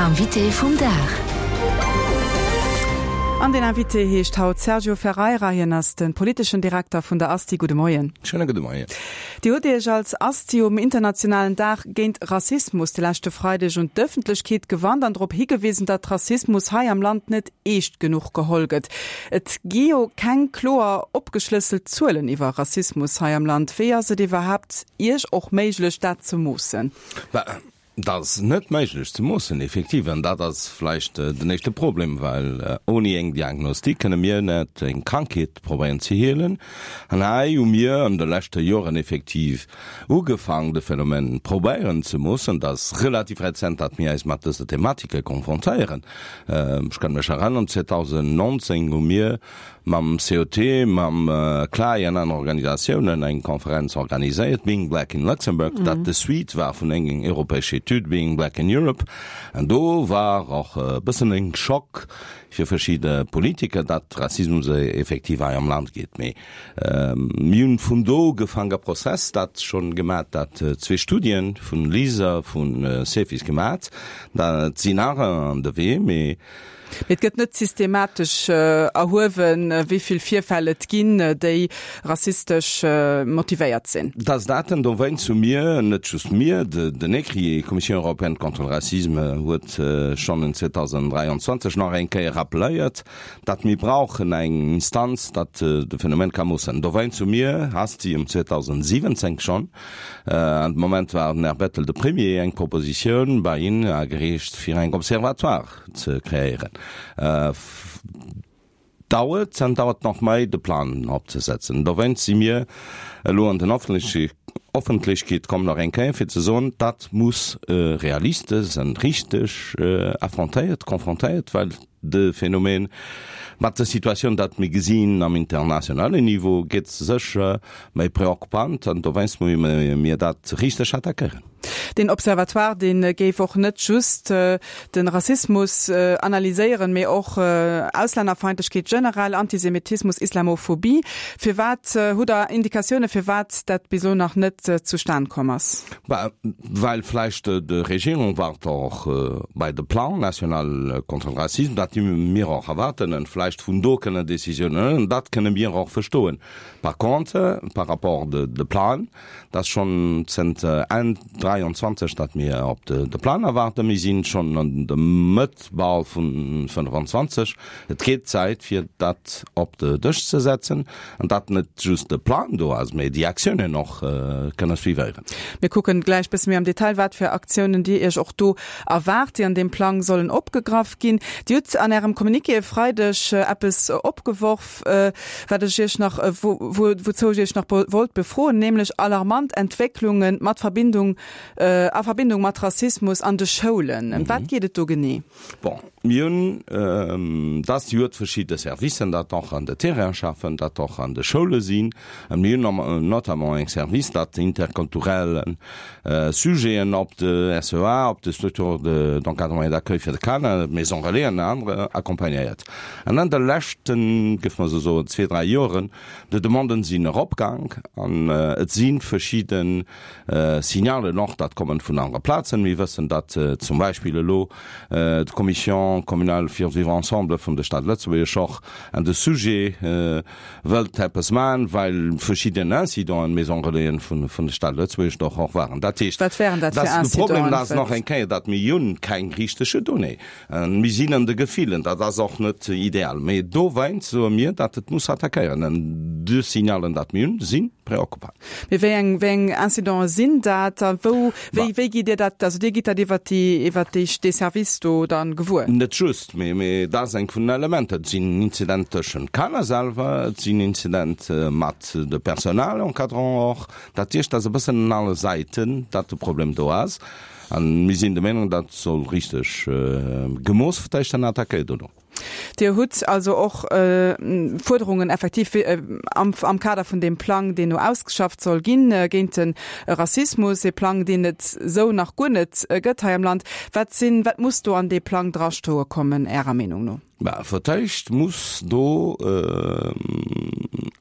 Invité vum Dag. An den Invité heescht haut Sergio Ferreira. Hien ass de politeschen Direkter vun der ASTI. Gudde Moien. Schéine gudde Moien. Dir hutt Iech als ASTI um internationalen Dag géint Rassismus de leschte Freideg un d'Ëffentlechkeet gewannt an drop higewisen, datt Rassismus hei am Land net eescht genuch geholl gëtt. Et gi jo keng kloer opgeschlësselt Zuelen iwwer Rassismus hei am Land. Wéi ass et iwwerhaapt Iech och méiglech, dat ze moossen? Dat ass net méiglech ze moossen, effektiv. An dat ass vläicht den éischte Problem, well ouni eng Diagnostik kënne mir net eng Krankheet probéieren ze heelen. An hei hu mir an de leschte Joren effektiv ugefaang, de Phänomen probéieren ze moossen. Dat ass relativ rezent, datt mir eis mat dëser Thematike konfrontéieren. Ech kann mech erënnern, 2019 hu mir mam COT, mam CLAE an aner Organisatiounen eng Konferenz organiséiert, Being Black in Luxembourg, dat de Suite war vun engem europäesche Etüd, Being Black in Europe. An do war och e bëssen en Schock fir verschidde Politiker, datt Rassismus effektiv hei am Land geet. Mee mir hunn vun do ugefaang e Prozess, dat schonn gemat, dat zwee Studien vun LISER, vun CEFIS gemat, dat sinn nach an de Wee, mee Mee et gëtt net systematesch erhuewen, wéi vill Virfäll et ginn, déi rassistesch motivéiert sinn. Dass dat en dowéinst hu mir, net just mir, den ECRI, Commission européenne contre le racisme, huet schonn en 2023 nach eng Kéier rappeléiert, datt mir brauchen eng Instanz, datt de Phänomen ka moossen. Dowéinst hu mir, ASTI, um 2017 schonn, an de Moment war den Här Bettel de Premier, eng Propositioun bei hien agereecht, fir eng Observatoire ze kreéieren. Dauert an dauert nach méi de Plan opzesetzen. Dowéinst si mir elo an den Offentlechkeet komm nach eng Kéier fir ze soen, dat muss realistes an richteg affrontéiert, confrontéiert, well de Phänomen mat der Situatioun, dat mir gesinn am internationalen Niveau, gétt sécher méi preoccupant an dowéinst musse mir dat richteg attackéieren. Deen Observatoire, dee géif och net just de Rassismus analyséieren, mee och Auslännerfeindlechkeet generell, Antisemitismus, Islamophobie. Firwat, hutt Der Indikatioune firwat dat bis elo nach net zustan komm ass? Well vläicht d'Regierung waart och bei de Plan national contre le racisme, dat mir och erwaarden, an vläicht vun do kënnen Décisiounen huelen. Dat kënne mir och verstoen. Par contre, par rapport de Plan, Dat ass schonn zënter Enn 23, datt mir op de Plan erwaarden. Mir sinn schonn an der Mëtt bal vun 25. Et gétt Zäit, fir dat op de Dësch ze setzen an datt net just de Plan do ass, mee déi Aktiounen och kënne suivéieren. Mir kucken gläich bësse méi am Detail, wat fir Aktiounen Dir Iech och do erwaart, déi an deem Plang sollen opgegraff ginn. Dir hutt an Ärem Communiqué e Freideg eppes opgeworf, wat ech Iech nach, wouzou ech Iech nach wollt befroen, nämlech alarmant Entwécklunge mat Verbindung, a Verbindung mat Rassismus an de Schoulen. Ëm wat geet et do genee? Bon, mir hunn, dass déi huet verschidde Servicen, dat och an de Terrain schaffen, dat och an de Schoule sinn. A mir hunn notamment eng Service, dat interkulturell Sujeten op de SEA, op de Structures d'encadrement et d'accueil fir de Kanner, d'Maisons relais an anere accompagnéiert. An an de leschten, géif mer esou soen, zwee, dräi Joren, de Demanden sinn eropgaang an et si verschidde Signalen och, dat kommen vun anere Plazen. Mir wëssen, datt zum Beispill elo d'Commission communale fir vivre ensemble vun der Stad Lëtzebuerg och an de Sujet wëllt eppes maachen, well verschidden Incidenten an Maison Relaisen vun vun der Stad Lëtzebuerg doch och waren. Dat heescht, Wat wären dat fir dass de Problem Incidenten? ass nach eng Kéier, datt mir hunn keng richtege Donnée. Mir sinn an de Gefillen, dat ass och net ideal. Mee dowéinst soe mir, datt et muss attackéieren. An de Signalen, dat mir hunn, si preoccupant. Mee wéi eng, wéi eng Incidenten sinn dat a wou, wéi, wéi gitt Dir dat, also Dir gitt dat iwwert déi, iwwert déi, dee Service do dann gewuer? Net just, mee, mee dat ass eng vun den Elementer. Et sinn Incidenten tëschent Kanner selwer, et sinn Incidente mat de Personal encadrant och. Dat heescht, dat ass e bëssen un alle Säiten, dat de Problem do ass. A mir sinn der Meenung, dat soll richteg gemooss vertéicht an attackéiert dono. Dir hutt also och Fuerderungen effektiv am Kader vun deem Plang, deen no ausgeschafft soll ginn géint de Rassismus, ee Plang, deen et esou nach guer net gëtt hei am Land. Wat sinn, wat muss do an dee Plang drastoe kommen, Ärer Meenung no? Bah, fir d'éischt muss do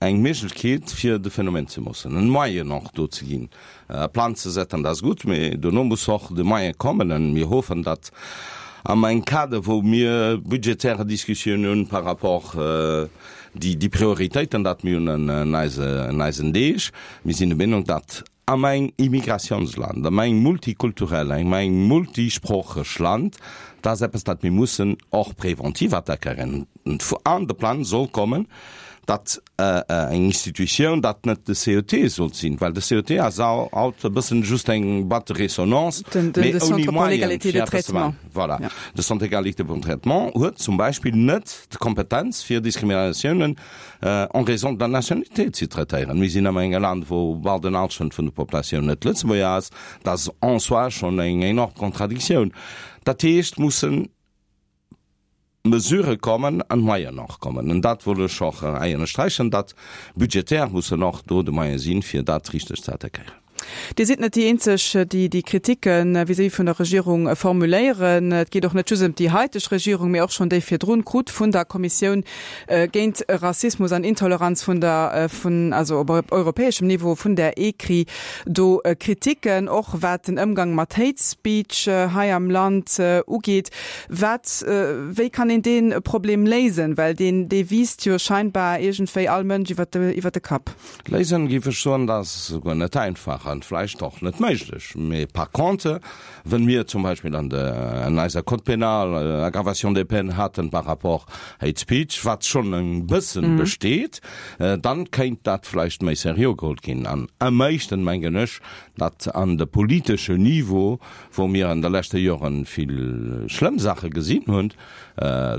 eng Méiglechkeet fir de Phänomen ze moossen, en Moyen och do ze ginn. E Plan ze setzen, dat ass gutt, mee dono muss och de Moyen kommen. An mir hoffen, datt. Am engem Kader, wou mir budgetäre Diskussioun hunn par rapport déi déi Prioritéiten, dat mir hunn an eise an eisen Deeg. Mir sinn der Meenung, datt am engem Immigrationsland, am engem multikulturell, am engem multisproocheg Land, dat ass eppes, dat mir mussen och preventiv attackéieren. An de Plang soll kommen, datt eng Institutioun, dat net de CET sollt sinn, well de CET ass haut e bëssen just eng Boîte de résonance, mee ouni Moyen fir eppes ze maachen. Voilà. De Centre d'égalité de traitement huet zum Beispill net d'Kompetenz fir Diskriminatiounen en raison de la nationalité ze traitéieren. Mir sinn am engem Land, wou bal den Hallschent vun der Populatioun net Lëtzebuerger ass. Dat ass en soi schonn eng enorm Contradictioun. Dat heescht, mussen Mesurë kommen an Moyen och kommen. An dat wollt ech och hei ënnersträichen, datt budgetär mussen och do de Moyen sinn, fir dat richteg ze attackéieren. Dir sidd net déi eenzeg, déi déi Kritikke vis-à-vis vun der Regierung formuléieren. Et geet och net just ëm déi haiteg Regierung, mee och schonn déi virdrun krut vun der Kommissioun géint Rassismus an Intoleranz vun der, vun, also op europäeschem Niveau vun der ECRI do Kriticken, och wat den Ëmgang mat Hate Speech hei am Land ugeet. Wat, wéi kann een dee Problem léisen? Well deen, dee wiisst jo scheinbar iergendwéi all Mënsch iwwer de, iwwer de Kapp. Léisen, géif ech soen, dat ass souguer net einfach an vläicht och net méiglech. Mee par contre, wënn mir zum Beispill an de, an eiser Code pénal Aggravation des peines haten par rapport Hate Speech, wat schonn e bëssen besteet, dann kéint dat vläicht méi seriö geholl ginn. An am éischten mengen ech, datt an de politeschen Niveau, wou mir an de leschte Joren vill schlëmm Saache gesinn hunn,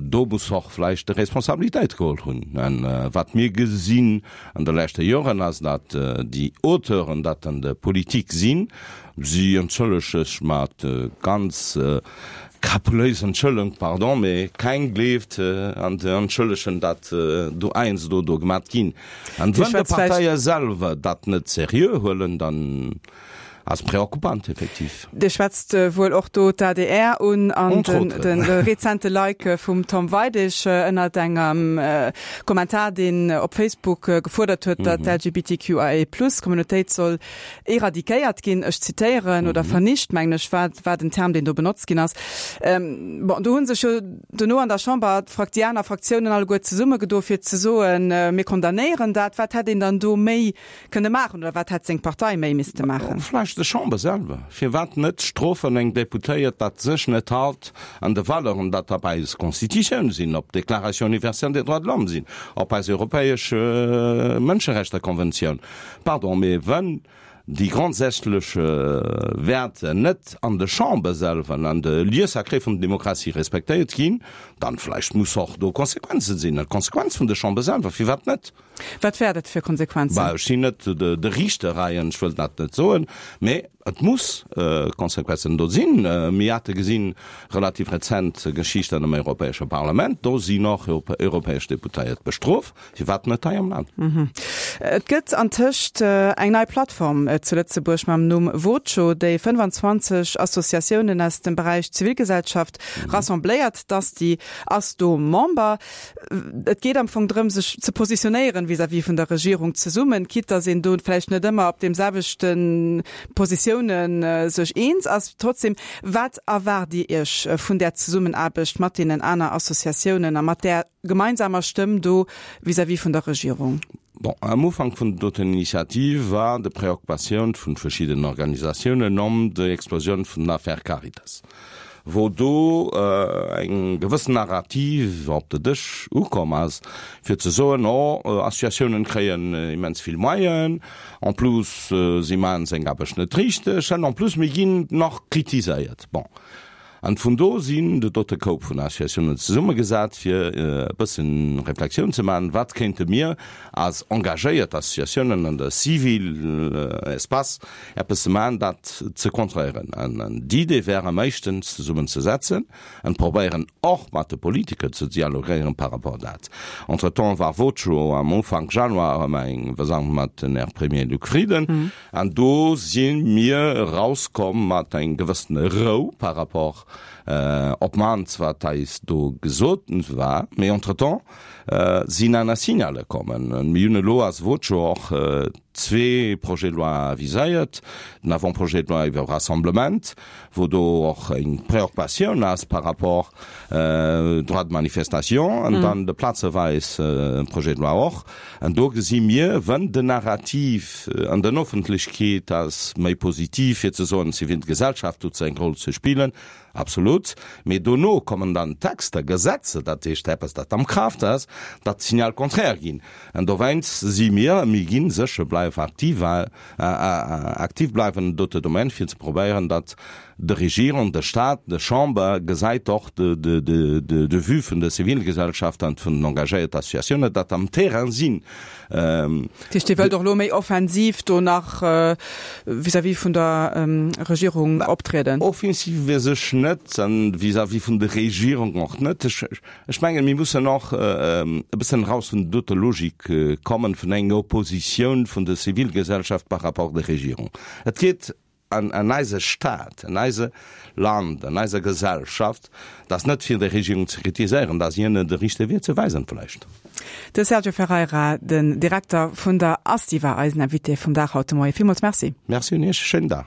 do muss och vläicht de Responsabilitéit geholl hunn. An wat mir gesinn an de leschte Joren ass, datt déi Auteuren, dat an der Politik sinn, si entschëllege sech mat ganz krapuléisen Entschëllung, pardon, mee keng gleeft an de Entschëllegen, dat do heiansdo do gemat ginn. An wann de Parteie selwer dat net seriö huelen, dann Ass preoccupant, effektiv. Dir schwätzt wuel och do d'ADR un an de rezente Like vum Tom Weidig ënnert engem Kommentar, deen op Facebook gefuerdert huet, datt d'LGBTQIA-Plus-Communautéit soll eradiquéiert ginn, ech zitéieren, oder vernicht, mengen ech, war war den Term, deen do benotzt ginn ass. Bon, do hu sech jo dono an der Chamber déi aner Fraktiounen alleguer zesummegedo fir ze soen, mir condamnéieren dat. Wat hätt een dann do méi Kënne maachen oder wat hätt seng Partei méi misste maachen? Vläicht de Chamber selwer. Firwat net strofen eng Deputéiert, dat sech net halt an de Valeuren, dat op eis Constitutioun sinn, op d'Déclaration universelle des droits de l'homme sinn, op eis europäesch Mënscherechter-Konventioun? Pardon, mee wenn déi grondsätzlech Wäerter net an de Chamber selwer an de Lieux sacrés vun der Demokratie respektéiert ginn, dann vläicht muss och do Konsequenzen sinn, d'Konsequenz vun de Chamber selwer. Firwat net? Wat wär dat fir Konsequenzen? Bah, ech sinn net de Riichter hei an ech wëll dat net soen, mä et muss Konsequenzen do sinn. Mir hate gesinn, relativ rezent Geschicht an dem Europäesche Parlament, do sinn och europäesch Deputéiert bestrof. Firwat net hei am Land? Et gëtt antëscht eng nei Plattform zu Lëtzebuerg mam Numm Voco, déi 25 Associatiounen aus dem Beräich Zivilgesellschaft rassembléiert. D'Asti ass do Member. Et geet am Fong drëm, sech ze positionéieren vis-à-vis vun der Regierung zesummen, quitte dass een do vläicht net ëmmer op deem selwechte Positiounen sech eens ass. Trotzdem, wat erwaart Dir Iech vun där Zesummenaarbecht mat deenen aner Associatiounen a mat där gemeinsamer Stëmm do vis-à-vis vun der Regierung? Bon, am Ufank vun der doten Initiativ war de Preoccupatioun vun verschiddenen Organisatiounen ëm déi Explosioun vun der Affaire Caritas. wou do eng gewëssen Narrativ op de Dësch ukomm ass, fir ze soen, oh, Associatiounen kréien immens vill Moyen, en plus si maachen seng Aarbecht net richteg an en plus mir ginn nach kritiséiert. Bon, an vun do sinn de dote Koup vun Associatiounen zesummegesat, fir e bëssen Reflexioun ze maachen, wat kéinte mir als engagéiert Associatiounen an der civil Espace eppes ze maachen, dat ze kontréieren. An d'Idee wär am éischten zesummen ze setzen an probéieren och mat de Politiker ze dialogéieren par rapport dat. Entretemps war Voco am Ufank Januar erëm eng Versammlung mat den Här Premier Luc Frieden an do si mir erauskomm mat eng gewëssene Rou par rapport. Op d'mannst wat eis do gesot war. Mee entretemps sinn aner Signale kommen. Mir hunn elo als Voce och zwee Projets de loi viséiert, den Avant-projet de loi iwwer Rassemblement, wou do och eng Préoccupatioun ass par rapport Droit de manifestation, an dann de plazeweis Projet de loi och. An do gesi mir, wann den Narrativ an den Offentlechkeet ass méi positiv, fir ze soen, d'Zivilgesellschaft huet seng Roll ze spillen, absolut, mee dono kommen dann Texter, Gesetze, dat heescht eppes, dat am Kraaft ass, dat d'Signal contraire ginn. An dowéinst si mir, mir gi sécher bleiwen aktiv, aktiv bleiwen an dote Domaine, fir ze probéieren, datt de Regierung, de Stat, de Chamber gesäit och de Vue vun der Zivilgesellschaft an vun den engagéierte Associatiounen, datt am Terrain sinn. Dat heescht, Dir wëllt och elo méi offensiv do nach vis-à-vis vun der Regierung optrieden? Offensiv weess ech net, a vis-à-vis vun der Regierung och net. Ech mengen, mir mussen och e bëssen eraus vun doter Logik kommen, vun enger Oppositioun vun der Zivilgesellschaft par rapport der Regierung. Et geet an eise Stat, an eise Land, an eiser Gesellschaft, dat ass net fir déi Regierung ze kritiséieren, dat ass hinnen de richtege Wee ze weisen vläicht. De Sergio Ferreira, den Direkter vun der ASTI war eisen Invité vum Dag haut de Moien. Villmools Merci. Merci un Iech, schéinen Dag.